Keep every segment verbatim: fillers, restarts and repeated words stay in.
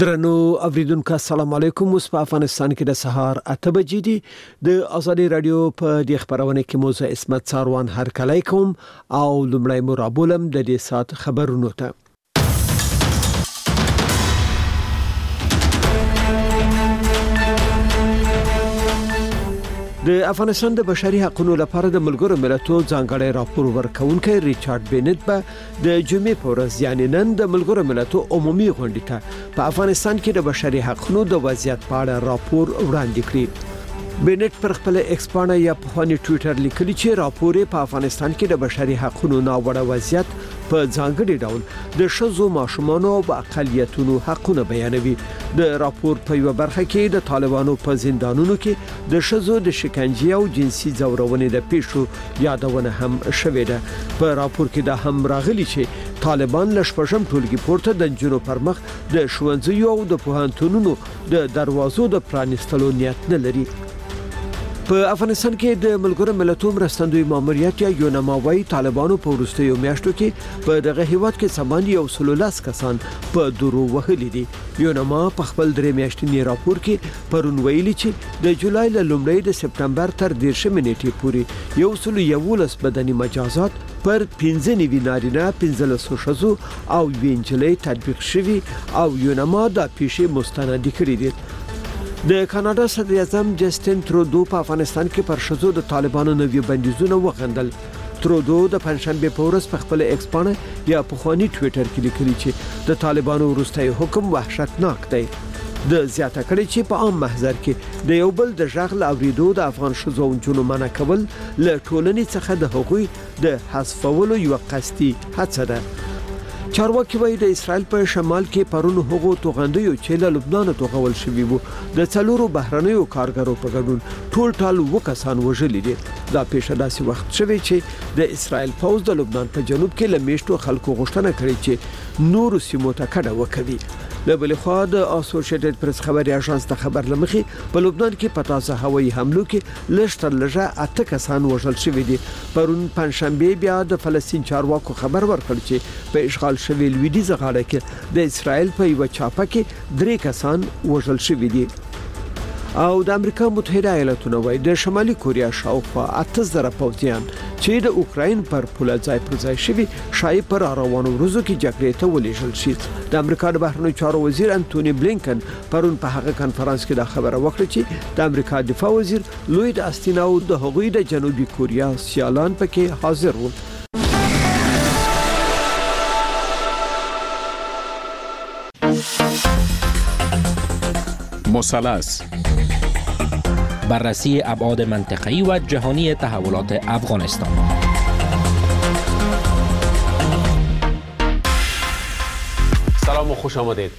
درنو اوریدونکو السلام علیکم. اوس په افغانستان کې د سهار اته بجې دي. د ازادي رادیو په دې خبرونه کې موزه عصمت څاروان هرکلی کوم او لومړی مو رابولم د دې ساعت خبرونو ته. د افغانستان د بشري حقونو لپاره د ملګرو ملتو ځانګړی راپور ورکوونکی ریچارډ بینټ به د جمعې په ورځ یعنې نن د ملګرو ملتو عمومي غونډې ته په افغانستان کې د بشري حقونو د وضعیت په اړه راپور وړاندې کړي. بینټ پر خپل ایکس پاڼه یا پخواني ټویټر لیکلي چې راپور یې په افغانستان کې د بشري حقونو ناوړه وضعیت په ځانګړي ډول د ښځو، ماشومانو او اقلیتونو حقونه بیانوي. د راپور په یوه برخه کې د طالبانو په زندانونو کې د ښځو د شکنجې او جنسي ځورونې د پیښو یادونه هم شوې ده. په راپور کې دا هم راغلي چې طالبان له شپږم ټولګي پورته د نجونو پر مخ د ښوونځیو او د پوهنتونونو د دروازو د پرانیستلو نیت نه لري. په افغانستان کې د ملګرو ملتو مرستندوی ماموریت یا یونما وایي طالبانو په وروستیو میاشتو کې په دغه هیواد کې څه باندې یو سل لس کسان په درو وهلي دي. یونما په خپل درې میاشتني راپور کې پرون ویلي چې د جولای له لومړۍ د سپټمبر تر دېرشمې نېټې پورې یو سل یوولس بدني مجازات پر پنځه نوي نارینه، پنځلسو ښځو او یوې نجلۍ تطبیق شوي او یونما دا پیښې مستندې کړې دي. د کاناډا صدراعظم جسټن ترودو په افغانستان کې پر ښځو د طالبانو نوي بندیزونه وغندل. ترودو د پنجشنبې په ورځ په خپل ایکس پاڼه یا پخواني ټویټر کې لیکلي چې د طالبانو وروستی حکم وحشتناک دی. ده زیاته کړې چې په عام محضر کې د یو بل د غږ له اورېدو د افغان ښځو او نجونو منع کول له ټولنې څخه د هغوی د حذفولو یوه قصدي هڅه ده. چارواکي وایي د اسرائیل په شمال کې پرون هغو توغندیو چې له لبنانه توغول شوي وو د څلورو بهرنیو کارګرو په ګډون ټول ټال اووه کسان وژلي دي. دا پیښه داسې وخت شوې چې د اسرائیل پوځ د لبنان په جنوب کې له میشتو خلکو غوښتنه کړې چې نورو سیمو ته کډه وکوي. له بلې خوا د اسوشیټډ پرس خبري اژانس د خبر له مخې په لبنان کې په تازه هوایي حملو کې لږ تر لږه اته کسان وژل شوي دي. پرون پنجشنبې بیا د فلسطین چارواکو خبر ورکړ چې په اشغال شوې لویدیځه غاړه کې د اسرائیل په یوه چاپه کې درې کسان وژل شوي دي. او د امریکا متحده ایالتونه وایي د شمالي کوریا شاوخوا اته زره پوځیان چې د اوکراین پر پوله ځای پر ځای شوي ښایي په راروانو ورځو کې جګړې ته ولیږل شي. د امریکا د بهرنیو چارو وزیر انتوني بلینکن پرون په هغه کنفرانس کې دا خبره وکړه چې د امریکا دفاع وزیر لوید آستین او د هغوی د جنوبي کوریا سیالان پکې حاضر وو. مثلث بررسی ابعاد منطقه‌ای و جهانی تحولات افغانستان. سلام و خوش آمدید.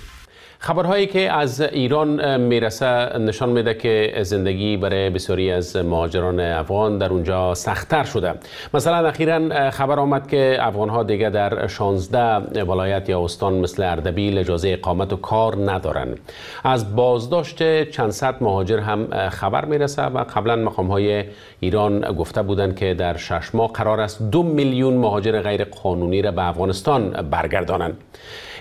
خبرهایی که از ایران میرسه نشان میده که زندگی برای بسیاری از مهاجران افغان در اونجا سخت‌تر شده. مثلا اخیراً خبر آمد که افغانها دیگه در شانزده ولایت یا استان مثل اردبیل اجازه اقامت و کار ندارند. از بازداشت چند صد مهاجر هم خبر میرسه و قبلا مقام‌های ایران گفته بودند که در شش ماه قرار است دو میلیون مهاجر غیر قانونی را به افغانستان برگردانند.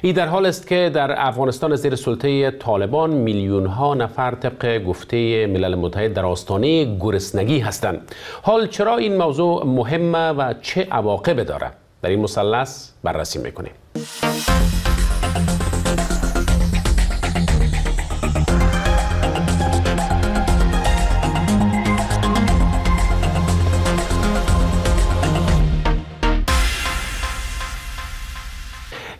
این در حال است که در افغانستان زیر سلطه طالبان میلیون ها نفر طبق گفته ملل متحد در آستانه گرسنگی هستند. حال چرا این موضوع مهمه و چه عواقب داره؟ در این مثلث بررسی میکنیم.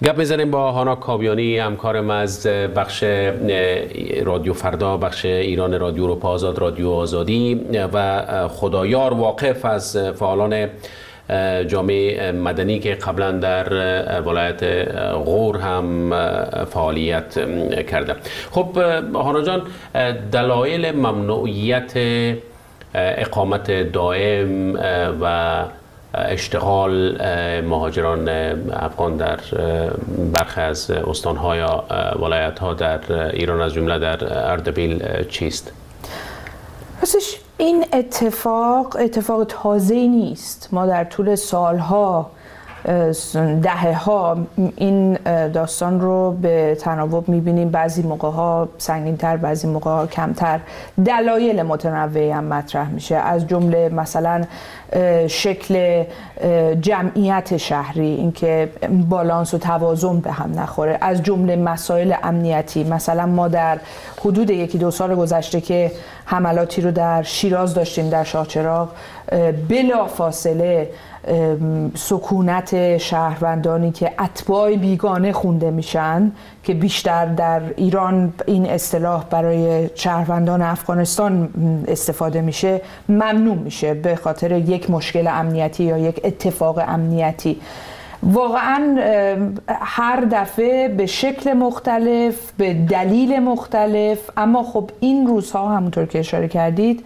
گپ میزنیم با هانا کاویانی، همکارم از بخش رادیو فردا، بخش ایران رادیو اروپا آزاد، رادیو آزادی و خدایار واقف از فعالان جامعه مدنی که قبلا در ولایت غور هم فعالیت کرده. خب هانا جان، دلایل ممنوعیت اقامت دائم و اشتغال مهاجران افغان در برخی از استان‌ها یا ولایت‌ها در ایران از جمله در اردبیل چیست؟ راستش این اتفاق اتفاق تازه‌ای نیست. ما در طول سالها دهه ها این داستان رو به تناوب میبینیم، بعضی موقع ها سنگین‌تر، بعضی موقع ها کمتر. دلایل متنوعی هم مطرح میشه، از جمله مثلا شکل جمعیت شهری، اینکه بالانس و توازن به هم نخوره، از جمله مسائل امنیتی. مثلا ما در حدود یکی دو سال گذشته که حملاتی رو در شیراز داشتیم، در شاهچراغ، بلا فاصله سکونت شهروندانی که اتباع بیگانه خونده میشن، که بیشتر در ایران این اصطلاح برای شهروندان افغانستان استفاده میشه، ممنوع میشه به خاطر یک مشکل امنیتی یا یک اتفاق امنیتی. واقعا هر دفعه به شکل مختلف، به دلیل مختلف، اما خب این روزها همونطور که اشاره کردید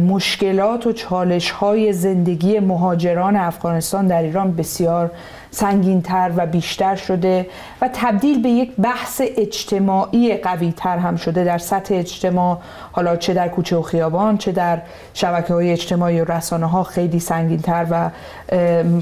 مشکلات و چالش‌های زندگی مهاجران افغانستان در ایران بسیار سنگین‌تر و بیشتر شده و تبدیل به یک بحث اجتماعی قوی‌تر هم شده در سطح اجتماع، حالا چه در کوچه و خیابان، چه در شبکه‌های اجتماعی و رسانه‌ها خیلی سنگین‌تر و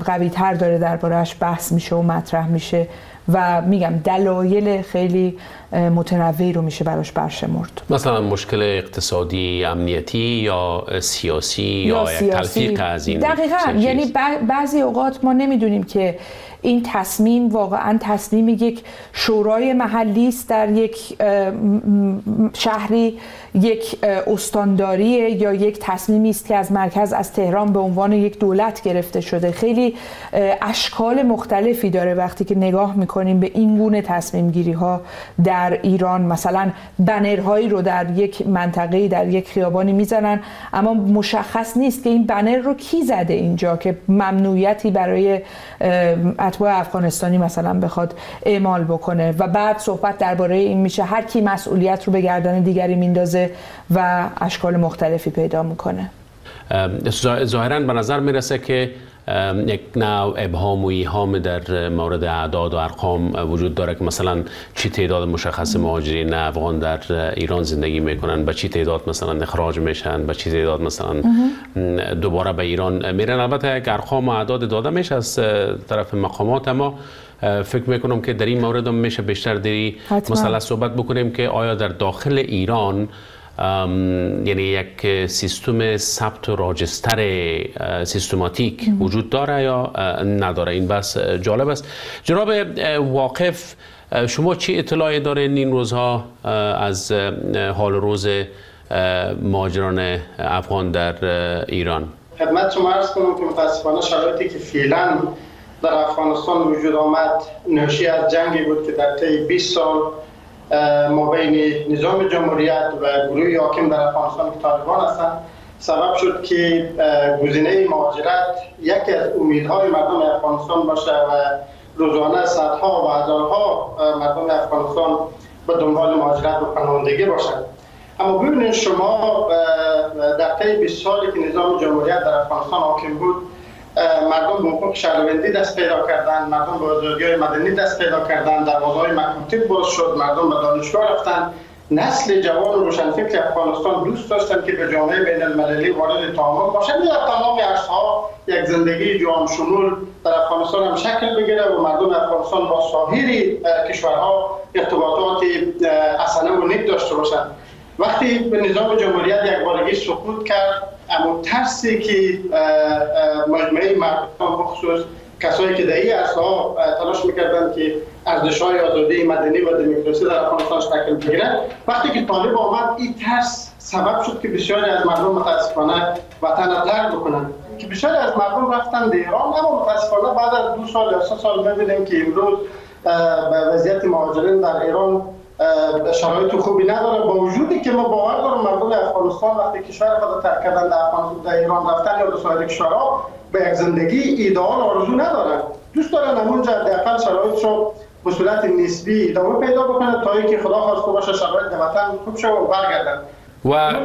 قوی‌تر داره درباره‌اش بحث میشه و مطرح میشه و میگم دلایل خیلی متنوعی رو میشه براش برشمرد، مثلا مشکل اقتصادی، امنیتی یا سیاسی یا, یا یک تلفیق از این. دقیقاً، یعنی بعضی اوقات ما نمیدونیم که این تصمیم واقعا تصمیم یک شورای محلی است در یک شهری، یک استانداری، یا یک تصمیمی است که از مرکز، از تهران به عنوان یک دولت گرفته شده. خیلی اشکال مختلفی داره وقتی که نگاه میکنیم به این گونه تصمیم گیری ها در ایران. مثلا بنرهایی رو در یک منطقه‌ای، در یک خیابانی میزنن، اما مشخص نیست که این بنر رو کی زده اینجا که ممنوعیتی برای اتباع افغانستانی مثلا بخواد اعمال بکنه و بعد صحبت درباره این میشه هر کی مسئولیت رو به گردن دیگری میندازه و اشکال مختلفی پیدا میکنه. ظاهراً به نظر میرسه که یک نوع ابهام و ایهام در مورد اعداد و ارقام وجود داره که مثلا چی تعداد مشخص مهاجرین افغان در ایران زندگی میکنن، به چی تعداد مثلا اخراج میشن، به چی تعداد مثلا دوباره به ایران میرن. البته یک ارقام و اعداد داده میشه از طرف مقامات، اما فکر میکنم که در این مورد هم میشه بیشتر در مثلا صحبت بکنیم که آیا در داخل ایران یعنی یک سیستم ثبت و راجستر سیستماتیک وجود داره یا نداره. این بس جالب است. جناب واقف، شما چی اطلاعی دارین این روزها از حال روز مهاجران افغان در ایران؟ خدمت شما عرض کنم که متاسفانه شرایطی که فعلا در افغانستان وجود آمد ناشی از جنگی بود که در طی بیست سال ما بین نظام جمهوریت و گروه حاکم در افغانستان که طالبان هستند سبب شد که گزینه مهاجرت یکی از امیدهای مردم افغانستان باشه و روزانه صدها و هزارها مردم افغانستان به دنبال مهاجرت و پناهندگی باشند. اما ببینید شما در طی بیست سالی که نظام جمهوریت در افغانستان حاکم بود، مردم به حقوق شهروندی دست پیدا کردند، مردم به آزادی‌های مدنی دست پیدا کردند، دروازه‌های مکاتب باز شد، مردم به دانشگاه رفتند. نسل جوان و روشنفکر افغانستان دوست داشتند که به جامعه بین المللی وارد تعامل باشند. در تمام عرصه‌ها یک زندگی جهان شمول در افغانستان هم شکل بگیره و مردم افغانستان با سایر کشورها ارتباطات حسنه و نیک داشته باشند. وقتی به نظام جمهوریت یک بارگی سقوط کرد، اما ترسی که مجموعه مردم بخصوص کسایی که در این عرصه‌ها تلاش میکردند که ارزش‌های آزادی مدنی و دموکراسی در افغانستان شکل بگیرد، وقتی که طالب آمد این ترس سبب شد که بسیاری از مردم متاسفانه وطن را ترک بکنند، که بسیاری از مردم رفتن به ایران. اما متاسفانه بعد از دو سال یا سه سال می‌بینیم که امروز وضعیت مهاجرین در ایران شرایط خوبی نداره، با وجودی که ما باور دارم مردم افغانستان وقتی کشور خود ترک کردن در افغانستان در ایران رفتن یا به سایر کشورها به یک زندگی ایدئال آرزو ندارن، دوست دارن همونجا حداقل شرایطشو به صورت نسبی ادامه پیدا بکنه تا اینکه خدا خواسته باشه شرایط در وطن خوب شه و برگردن.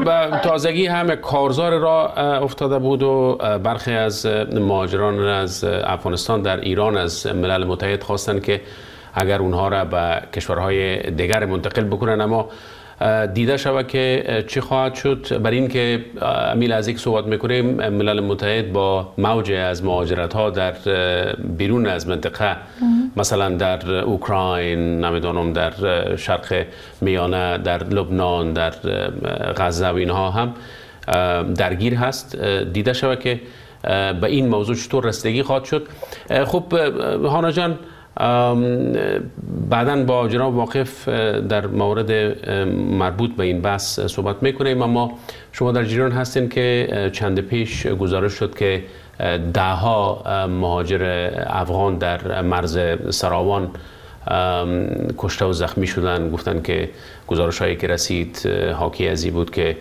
و تازگی هم کارزار را افتاده بود و برخی از مهاجران از افغانستان در ایران از ملل متحد خواستند که اگر اونها را به کشورهای دیگر منتقل بکنن، اما دیده شود که چی خواهد شد. بر این که امیل از یک صحبت میکنیم، ملل متحد با موج از مهاجرت ها در بیرون از منطقه، مثلا در اوکراین، نمیدانم در شرق میانه، در لبنان، در غزه و اینها هم درگیر هست. دیده شود که به این موضوع چطور رسیدگی خواهد شد. خب هانا جان، بعداً با جناب واقف در مورد مربوط به این بحث صحبت میکنیم، اما شما در جریان هستین که چند پیش گزارش شد که ده ها مهاجر افغان در مرز سراوان کشته و زخمی شدن. گفتن که گزارش هایی که رسید حاکی از این بود که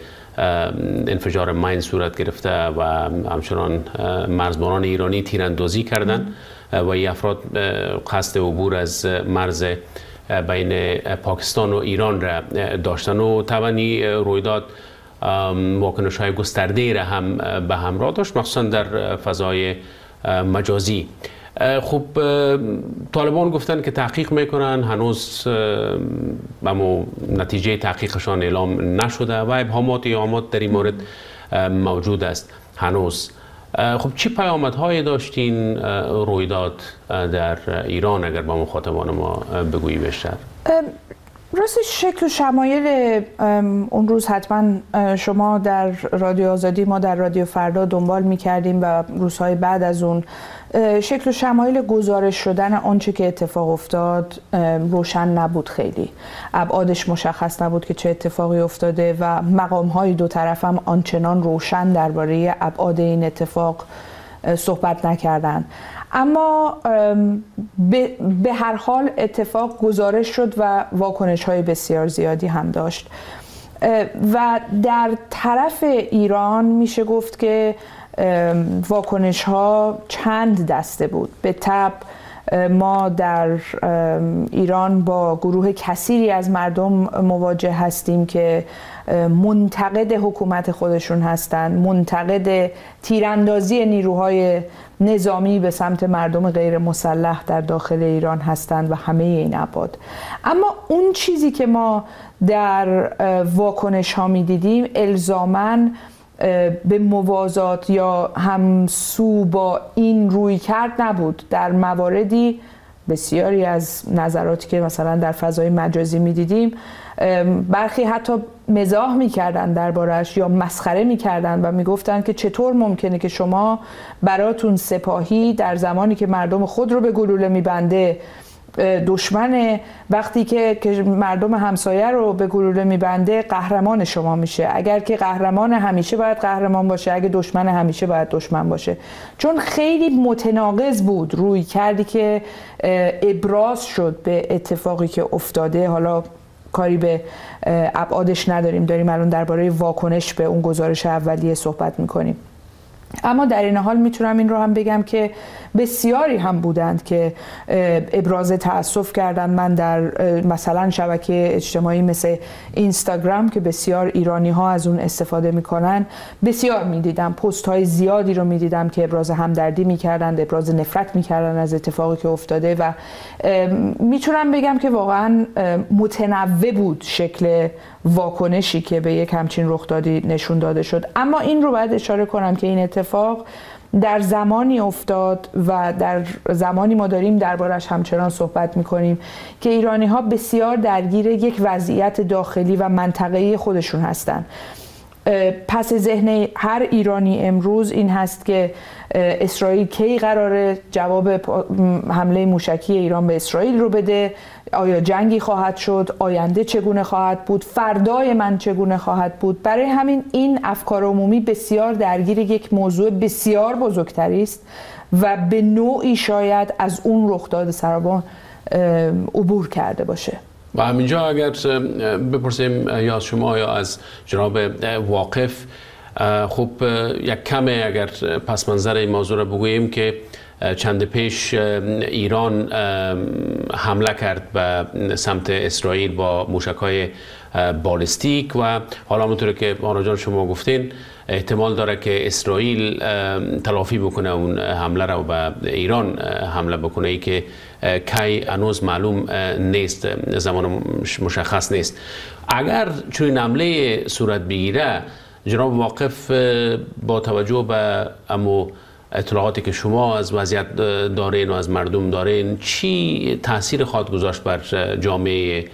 انفجار ماین صورت گرفته و همچنان مرزبانان ایرانی تیراندازی کردند و این افراد قصد عبور از مرز بین پاکستان و ایران را داشتن و طبعاً رویداد واکنش های گسترده را هم به همراه داشت، مخصوصا در فضای مجازی. خب طالبان گفتن که تحقیق میکنن، هنوز اما نتیجه تحقیقشان اعلام نشده و ابهامات ایهامات در این مورد موجود است هنوز. خب چی پیامدهای داشتین رویداد در ایران اگر با مخاطبان ما بگویی بیشتر؟ راست شکل و شمایل اون روز حتما شما در رادیو آزادی، ما در رادیو فردا دنبال می‌کردیم و روزهای بعد از اون شکل و شمایل گزارش شدن آنچه که اتفاق افتاد روشن نبود، خیلی ابعادش مشخص نبود که چه اتفاقی افتاده و مقام‌های دو طرف هم آنچنان روشن درباره ابعاد این اتفاق صحبت نکردن. اما به هر حال اتفاق گزارش شد و واکنش‌های بسیار زیادی هم داشت و در طرف ایران میشه گفت که واکنش‌ها چند دسته بود. به تبع ما در ایران با گروه کثیری از مردم مواجه هستیم که منتقد حکومت خودشون هستند، منتقد تیراندازی نیروهای نظامی به سمت مردم غیر مسلح در داخل ایران هستند و همه این ابعاد. اما اون چیزی که ما در واکنش ها می دیدیم الزاماً به موازات یا همسو با این رویکرد نبود. در مواردی بسیاری از نظراتی که مثلا در فضای مجازی میدیدیم برخی حتی مزاح میکردن دربارش یا مسخره میکردن و میگفتن که چطور ممکنه که شما براتون سپاهی در زمانی که مردم خود رو به گلوله میبنده دشمنه، وقتی که مردم همسایه رو به گلوله میبنده قهرمان شما میشه. اگر که قهرمان همیشه باید قهرمان باشه، اگه دشمن همیشه باید دشمن باشه. چون خیلی متناقض بود روی کردی که ابراز شد به اتفاقی که افتاده. حالا کاری به ابعادش نداریم، داریم الان درباره واکنش به اون گزارش اولیه صحبت میکنیم. اما در این حال میتونم این رو هم بگم که بسیاری هم بودند که ابراز تأسف کردند. من در مثلا شبکه اجتماعی مثل اینستاگرام که بسیار ایرانی ها از اون استفاده میکنن بسیار میدیدم، پست های زیادی رو میدیدم که ابراز همدردی میکردند، ابراز نفرت میکردند از اتفاقی که افتاده و میتونم بگم که واقعا متنوع بود شکل واکنشی که به یک همچین رخدادی نشون داده شد. اما این رو باید اشاره کنم که این اتفاق در زمانی افتاد و در زمانی ما داریم دربارش همچنان صحبت میکنیم که ایرانی ها بسیار درگیر یک وضعیت داخلی و منطقه‌ای خودشون هستند. پس ذهن هر ایرانی امروز این هست که اسرائیل کی قراره جواب حمله موشکی ایران به اسرائیل رو بده، آیا جنگی خواهد شد، آینده چگونه خواهد بود، فردای من چگونه خواهد بود. برای همین این افکار عمومی بسیار درگیر یک موضوع بسیار بزرگتری است و به نوعی شاید از اون رخداد سراوان عبور کرده باشه. و همینجا اگر بپرسیم یا از شما یا از جناب واقف، خب یک کم اگر پس منظر این موضوع را بگوییم که چند پیش ایران حمله کرد به سمت اسرائیل با موشک‌های بالستیک و حالا همونطور که آرا جان شما گفتین، احتمال داره که اسرائیل تلافی بکنه اون حمله را و به ایران حمله بکنه، ای که کی هنوز معلوم نیست، زمان مشخص نیست. اگر چنین حمله صورت بگیره، جناب واقف، با توجه به امو اطلاعاتی که شما از وضعیت دارین و از مردم دارین، چی تاثیر خواهد گذاشت بر جامعه